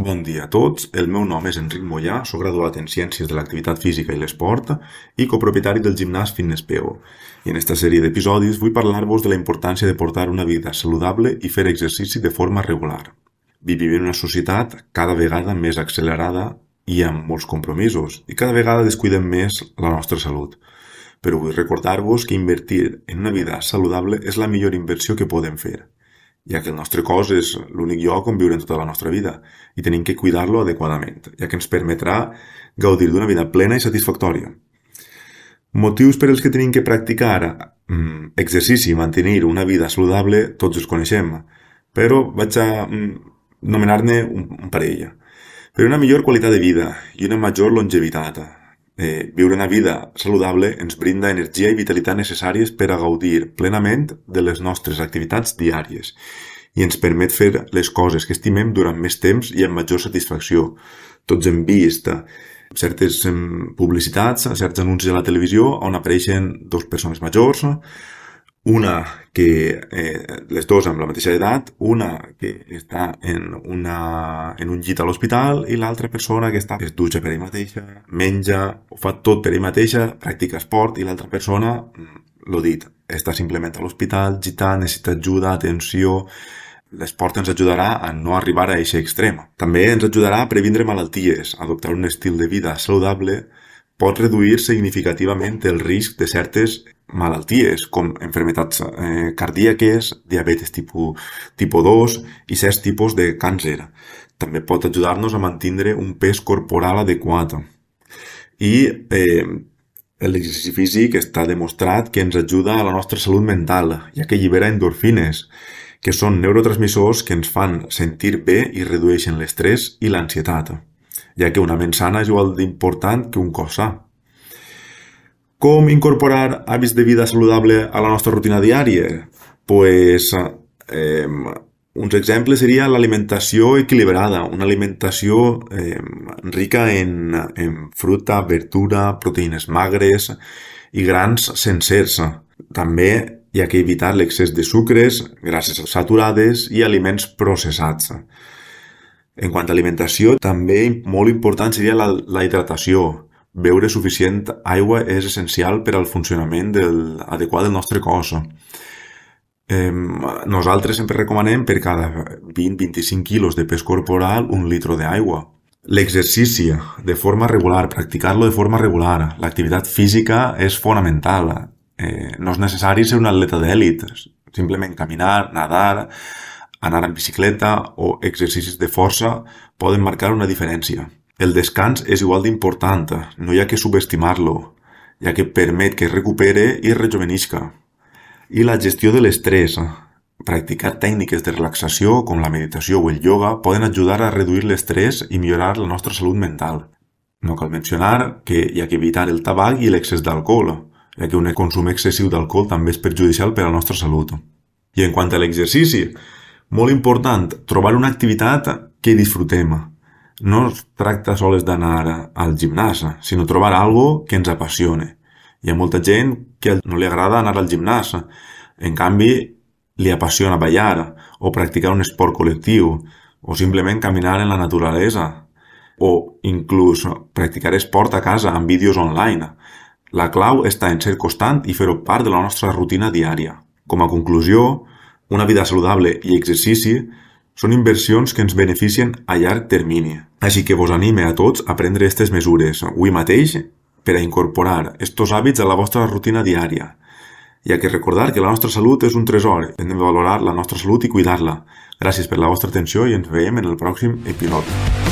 Bon dia a tots, el meu nom és Enric Mollà, soc graduat en Ciències de l'Activitat Física i l'Esport i copropietari del gimnàs Fitness PO. I en esta sèrie d'episodis vull parlar-vos de la importància de portar una vida saludable i fer exercici de forma regular. Vivim en una societat cada vegada més accelerada i amb molts compromisos, i cada vegada descuidem més la nostra salut. Però vull recordar-vos que invertir en una vida saludable és la millor inversió que podem fer, ja que el nostre cos és l'únic lloc on viure en tota la nostra vida i tenim que cuidar-lo adequadament, ja que ens permetrà gaudir d'una vida plena i satisfactòria. Motius per als que tenim que practicar exercici i mantenir una vida saludable tots els coneixem, però vaig a nomenar-ne un parell. Per una millor qualitat de vida i una major longevitat. Viure una vida saludable ens brinda energia i vitalitat necessàries per a gaudir plenament de les nostres activitats diàries i ens permet fer les coses que estimem durant més temps i amb major satisfacció. Tots hem vist certes publicitats, certs anuncis a la televisió on apareixen dues persones majors, una que les dues amb la mateixa edat, una que està en un llit a l'hospital i l'altra persona que es dutxa per ell mateixa, menja, ho fa tot per ell mateixa, practica esport, i l'altra persona, l'ho dit, està simplement a l'hospital, gitant, necessita ajuda, atenció. L'esport ens ajudarà a no arribar a aquest extrem. També ens ajudarà a previndre malalties. Adoptar un estil de vida saludable pot reduir significativament el risc de certes malalties, com enfermetats cardíaques, diabetes tipus 2 i certs tipus de càncer. També pot ajudar-nos a mantenir un pes corporal adequat. I l'exercici físic està demostrat que ens ajuda a la nostra salut mental, ja que allibera endorfines, que són neurotransmissors que ens fan sentir bé i redueixen l'estrès i l'ansietat, ja que una ment sana és igual d'important que un cos sa. Com incorporar hàbits de vida saludable a la nostra rutina diària? Uns exemples serien l'alimentació equilibrada, una alimentació rica en fruita, verdura, proteïnes magres i grans sencers. També hi ha que evitar l'excés de sucres, grasses saturades i aliments processats. En quant a alimentació, també molt important seria la hidratació. Beure suficient aigua és essencial per al funcionament adequat del nostre cos. Nosaltres sempre recomanem per cada 20-25 quilos de pes corporal 1 litre d'aigua. L'exercici de forma regular, practicar-lo de forma regular. L'activitat física és fonamental. No és necessari ser un atleta d'èlit. Simplement caminar, nadar, anar en bicicleta o exercicis de força poden marcar una diferència. El descans és igual d'important, no hi ha que subestimar-lo, ja que permet que es recupere i es rejovenisca. I la gestió de l'estrès. Practicar tècniques de relaxació com la meditació o el ioga poden ajudar a reduir l'estrès i millorar la nostra salut mental. No cal mencionar que hi ha que evitar el tabac i l'excés d'alcohol, ja que un consum excessiu d'alcohol també és perjudicial per a la nostra salut. I en quant a l'exercici, molt important, trobar una activitat que disfrutem. No es tracta sols d'anar al gimnàs, sinó trobar algo que ens apassione. Hi ha molta gent que no li agrada anar al gimnàs, en canvi li apassiona ballar o practicar un esport col·lectiu o simplement caminar en la naturalesa o inclús practicar esport a casa amb vídeos online. La clau està en ser constant i fer-ho part de la nostra rutina diària. Com a conclusió, una vida saludable i exercici són inversions que ens beneficien a llarg termini. Així que vos anime a tots a prendre aquestes mesures avui mateix per a incorporar estos hàbits a la vostra rutina diària. I ha que recordar que la nostra salut és un tresor. Hem de valorar la nostra salut i cuidar-la. Gràcies per la vostra atenció i ens veiem en el pròxim episodi.